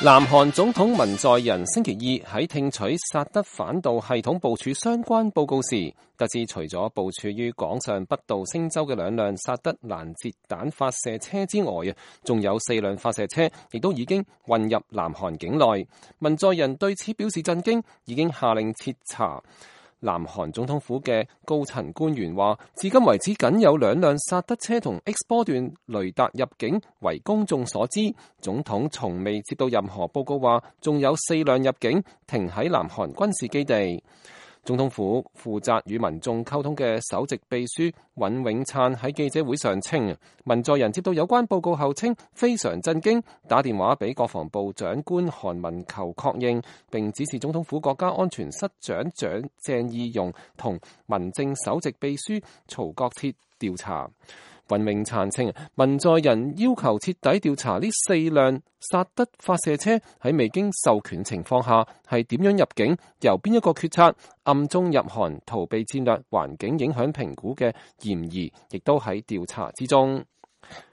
南韓總統文在寅星期二喺聽取薩德反導系統部署相關報告時，得知除咗部署於廣上北道星州嘅2輛薩德攔截彈發射車之外，仲有4輛發射車亦都已經運入南韓境內。文在寅對此表示震驚，已經下令徹查。南韓總統府嘅高層官員話，至今為止僅有2輛薩德車同 X 波段雷達入境為公眾所知，總統從未接到任何報告話仲有4輛入境停喺南韓軍事基地。總統府負責與民眾溝通嘅首席秘書尹永燦喺記者會上稱，文在寅接到有關報告後稱非常震驚，打電話俾國防部長官韓文求確認，並指示總統府國家安全室長鄭義溶同民政首席秘書曹國徹調查。尹永燦稱，文在寅要求徹底調查呢4輛薩德發射車喺未經授權情況下係點樣入境，由邊一個決策，暗中入韓逃避戰略環境影響評估嘅嫌疑，亦都喺調查之中。